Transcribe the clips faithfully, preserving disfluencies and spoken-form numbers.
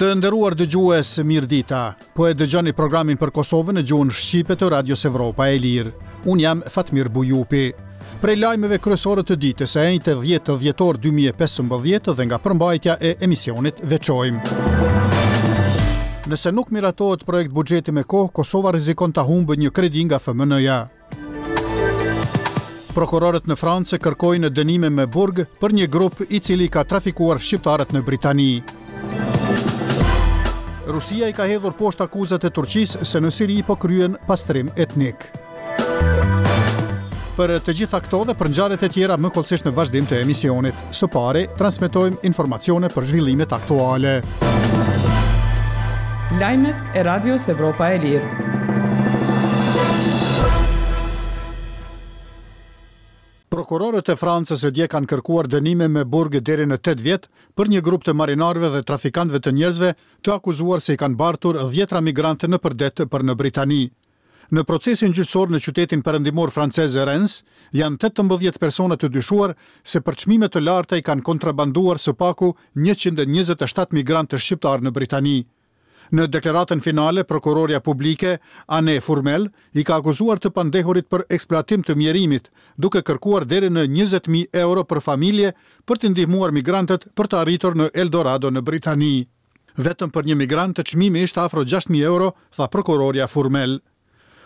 Të nderuar dëgjues, mirëdita. Po e dëgjoni programin për Kosovën në gjuhën shqipe të Radios Evropa e Lirë. Unë jam Fatmir Bujupi. Prej lajmeve kryesore të ditës së enjte dhjetë dhjetor dy mijë e pesëmbëdhjetë dhe nga përmbajtja e emisionit veçojmë: Nëse nuk miratohet projekt buxheti me kohë, Kosova rrezikon ta humbë një kredi nga F M N-ja. Prokurorët në Francë kërkojnë dënime me burg për një grup i cili ka trafikuar shqiptarët në Britani. Rusia i ka hedhur poshtë akuzat e Turqisë se në Siri po kryen pastrim etnik. Për të gjitha këto dhe për ngjarjet e tjera më hollësisht në vazhdim të emisionit. Së pari, transmetojmë informacione për zhvillimet aktuale. Lajmet e Radios Evropa e Lirë. Prokurorët e Francës e dje kanë kërkuar dënime me burg deri në tetë vjet për një grup të marinarëve dhe trafikantëve të njerëzve të akuzuar se i kanë bartur dhjetra migrantë nëpër det për në Britani. Në procesin gjyqësor në qytetin perëndimor francez Rennes, janë tetëmbëdhjetë persona të dyshuar se për çmime të larta i kanë kontrabanduar së paku njëqind e njëzet e shtatë migrantë shqiptarë në Britani. Në deklaratën finale, prokuroria publike Anne Fourmel i ka akuzuar të pandehurit për eksploatim të mjerimit, duke kërkuar deri në njëzet mijë euro për familje për të ndihmuar migrantët për të arritur në Eldorado në Britani. Vetëm për një migrant të çmimi ishte afro gjashtë mijë euro, tha prokuroria Fourmel.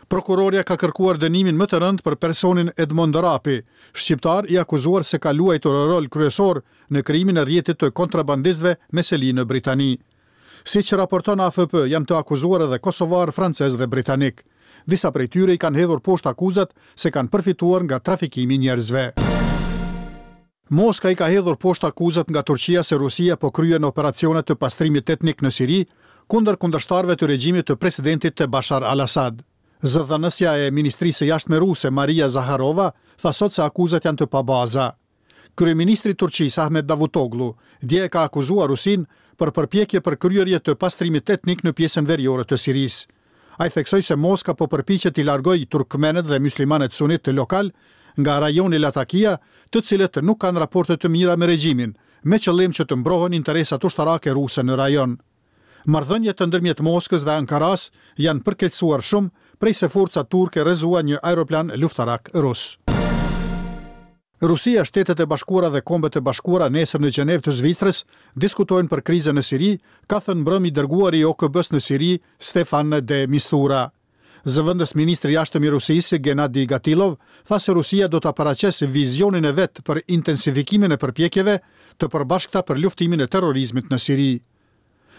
Prokuroria ka kërkuar dënimin më të rëndë për personin Edmond Rapi, shqiptar i akuzuar se ka luajtur rol kryesor në krijimin e rrjetit të kontrabandistëve me seli në Britani. Si që raporton A F P, janë të akuzuar edhe kosovar, francez dhe britanik. Disa prej tyre i kanë hedhur poshtë akuzat se kanë përfituar nga trafikimi i njerëzve. Moska i ka hedhur poshtë akuzat nga Turqia se Rusia po kryen operacione të pastrimit etnik në Siri kundër kundërshtarëve të regjimit të presidentit të Bashar al-Assad. Zëdhënësja e Ministrisë së Jashtme ruse Maria Zaharova tha sot se akuzat janë të pabaza. Kryeministri i Turqisë Ahmet Davutoglu dje e ka akuzuar Rusinë për përpjekje për kryerje të pastrimit etnik në pjesën veriore të Sirisë. Ai theksoi se Moska po përpiqet t'i largojë turkmenët dhe muslimanët sunit të lokal nga rajoni Latakia, të cilët nuk kanë raporte të mira me regjimin, me qëllim që të mbrohen interesat ushtarake ruse në rajon. Marrëdhëniet të ndërmjet Moskës dhe Ankaras janë përkeqësuar shumë prej se forcat turke rrëzuan një aeroplan luftarak rus. Rusia, Shtetet e Bashkuara dhe Kombet e Bashkuara nesër në Gjenevë të Zvicrës diskutojnë për krizën në Siri, ka thënë mbrëmë i dërguari i O K B-s në Siri, Stefan de Mistura. Zëvendës ministri i jashtëm i Rusisë, Gennady Gatilov, tha se Rusia do ta paraqesë vizionin e vet për intensifikimin e përpjekjeve të përbashkëta për luftimin e terrorizmit në Siri.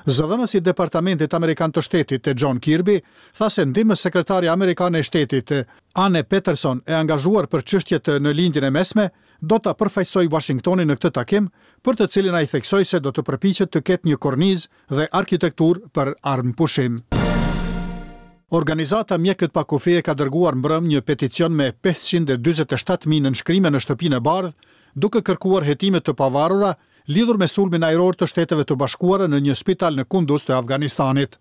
Zëdhënësi i Departamentit Amerikan të Shtetit, John Kirby, tha se ndihmës sekretari amerikane e shtetit, Anne Peterson, e angazhuar për çështjet në Lindjen e Mesme, do ta përfaqësojë Washingtonin në këtë takim, për të cilin ai theksoi se do të përpiqet të ketë një kornizë dhe arkitekturë për armëpushim. Organizata Mjekët pa Kufi e ka dërguar mbrëm një peticion me pesëqind e dyzet e shtatë mijë nënshkrime në Shtëpinë e Bardhë, duke kërkuar hetime të pavarura lidhur me sulmin ajror të Shteteve të Bashkuara në një spital në Kunduz të Afganistanit.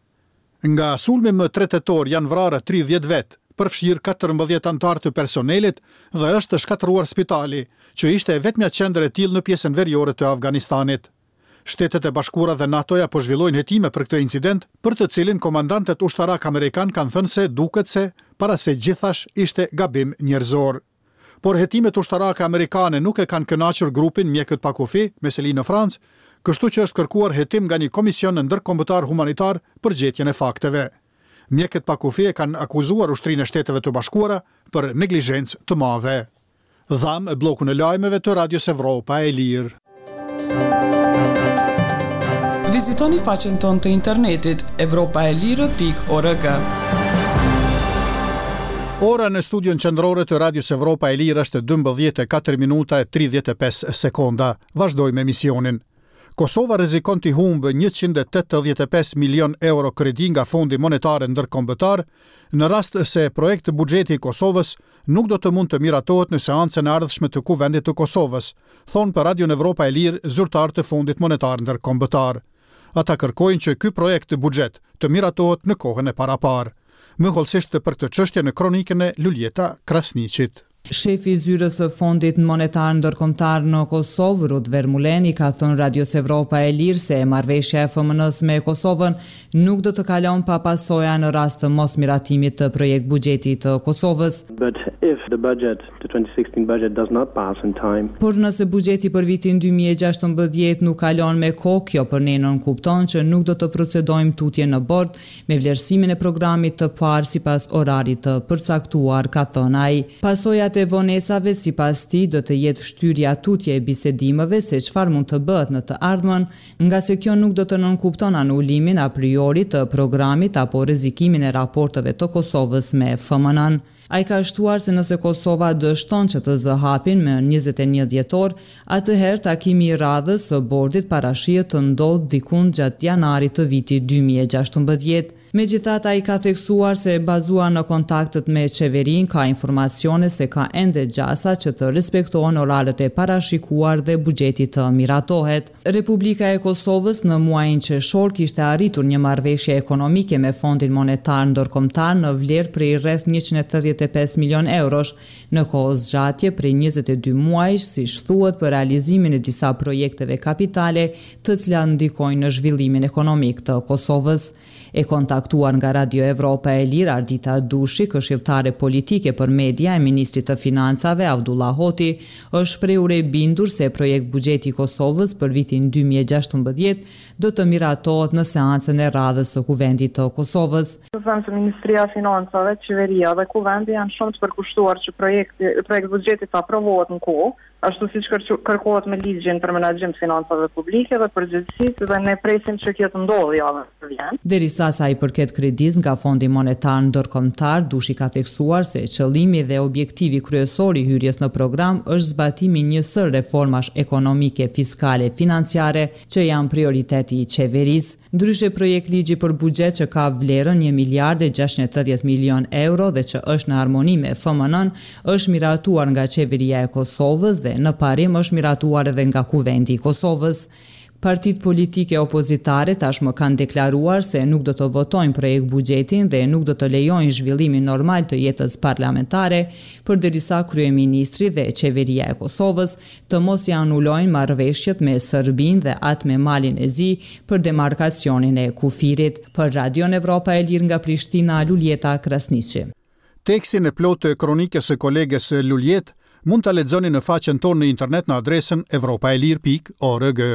Nga sulmi më tre tetor janë vrarë tridhjetë vet, përfshirë katërmbëdhjetë antarë të personelit, dhe është shkatërruar spitali, që ishte e vetmja qendër e tillë në pjesën veriore të Afganistanit. Shtetet e Bashkuara dhe NATO-ja po zhvillojnë hetime për këtë incident, për të cilin komandantët ushtarak amerikan kanë thënë se duket se para se gjithash ishte gabim njerëzor. Por hetimet ushtarake amerikane nuk e kanë kënaqur grupin Mjekët pa Kufi me seli në Francë, kështu që është kërkuar hetim nga një komision ndërkombëtar humanitar për gjetjen e fakteve. Mjekët pa Kufi e kanë akuzuar ushtrinë e Shteteve të Bashkuara për neglizhencë të madhe. Dhamë bllokun e lajmeve të Radios Evropa e Lirë. Vizitoni faqen tonë të internetit evropaelire pikë org. Ora në studion qendrore të Radios Evropa e Lirë është dymbëdhjetë e katër minuta e tridhjetë e pesë sekonda. Vazhdojmë emisionin. Kosova rrezikon të humbë njëqind e tetëdhjetë e pesë milion euro kredi nga Fondi Monetar Ndërkombëtar në rast se projekt buxheti i Kosovës nuk do të mund të miratohet në seancën e ardhshme të Kuvendit të Kosovës, thonë për Radion Evropa e Lirë zyrtar të Fondit Monetar Ndërkombëtar. Ata kërkojnë që ky projekt buxhet të miratohet në kohën e paraparë. Më hollësisht për këtë çështje në kronikën e Luljeta Krasniqit. Shefi i zyrës së Fondit Monetar Ndërkombëtar në Kosovë, Ruud Vermeulen, i ka thënë Radios Evropa e Lirë se marrëveshja e F M N-së me Kosovën nuk do të kalon pa pasoja në rast të mos miratimit të projekt buxhetit të Kosovës. But if the budget, the twenty sixteen budget does not pass in time, Por nëse buxheti për vitin dy mijë e gjashtëmbëdhjetë nuk kalon me kohë, kjo për ne nënkupton që nuk do të procedojmë tutje në bord me vlerësimin e programit të parë sipas orarit të përcaktuar, ka thënë ai. Pasojat e vonesave, sipas tij, do të jetë shtyrja tutje e bisedimeve se çfarë mund të bëhet në të ardhmen, nga se kjo nuk do të nënkupton anulimin a priori të programit apo rrezikimin e raporteve të Kosovës me F M N-n. Ai ka shtuar se nëse Kosova dështon që të zë hapin me njëzet e një dhjetor, atëherë takimi i radhës së bordit parashihet të ndodhë dikund gjatë janarit të vitit dy mijë e gjashtëmbëdhjetë. Megjithatë, ai ka theksuar se bazuar në kontaktet me qeverinë ka informacione se ka ende gjasa që të respektohen oraret e parashikuar dhe buxheti të miratohet. Republika e Kosovës në muajin qershor kishte arritur një marrëveshje ekonomike me Fondin Monetar Ndërkombëtar në vlerë prej rreth njëqind e tetëdhjetë e pesë milion eurosh në kohë zgjatje prej njëzet e dy muajsh, siç thuhet, për realizimin e disa projekteve kapitale të cilat ndikojnë në zhvillimin ekonomik të Kosovës. E kontaktuar nga Radio Evropa e Lirë, Ardita Dushi, këshilltare politike për media e Ministrit të Financave, Avdullah Hoti, është shprehur e bindur se projekt buxheti i Kosovës për vitin dy mijë e gjashtëmbëdhjetë do të miratohet në seancën e radhës së Kuvendit të Kosovës. Të them se Ministria e Financave, Qeveria dhe Kuvendi janë shumë të përkushtuar që projekti projekt buxheti të aprovohet në kohë, ashtu siç kërkohet me ligjin për menaxhim të financave publike dhe përgjegjësitë, dhe ne presim që kjo të ndodhë javën që vjen. Derisa sa i përket kredisë nga Fondi Monetar Ndërkombëtar, Dushi ka theksuar se qëllimi dhe objektivi kryesor i hyrjes në program është zbatimi i një sërë reformash ekonomike, fiskale, financiare që janë prioriteti i qeverisë. Ndryshe, projekt ligji për buxhet që ka vlerën një miliard e gjashtëqind e tetëdhjetë milion euro dhe që është në harmoni me F M N-n, është miratuar nga Qeveria e Kosovës dhe në parim është miratuar edhe nga Kuvendi i Kosovës. Partitë politike opozitare tashmë kanë deklaruar se nuk do të votojnë projekt buxhetin dhe nuk do të lejojnë zhvillimin normal të jetës parlamentare, përderisa kryeministri dhe Qeveria e Kosovës të mos i anulojnë marrëveshjet me Serbinë dhe atë me Malin e Zi për demarkacionin e kufirit. Për Radion Evropa e Lirë nga Prishtina, Luljeta Krasniqi. Tekstin e plotë të kronikës së kolegës Luljet mund ta lexoni në faqen tonë në internet në adresën evropaelir pikë org.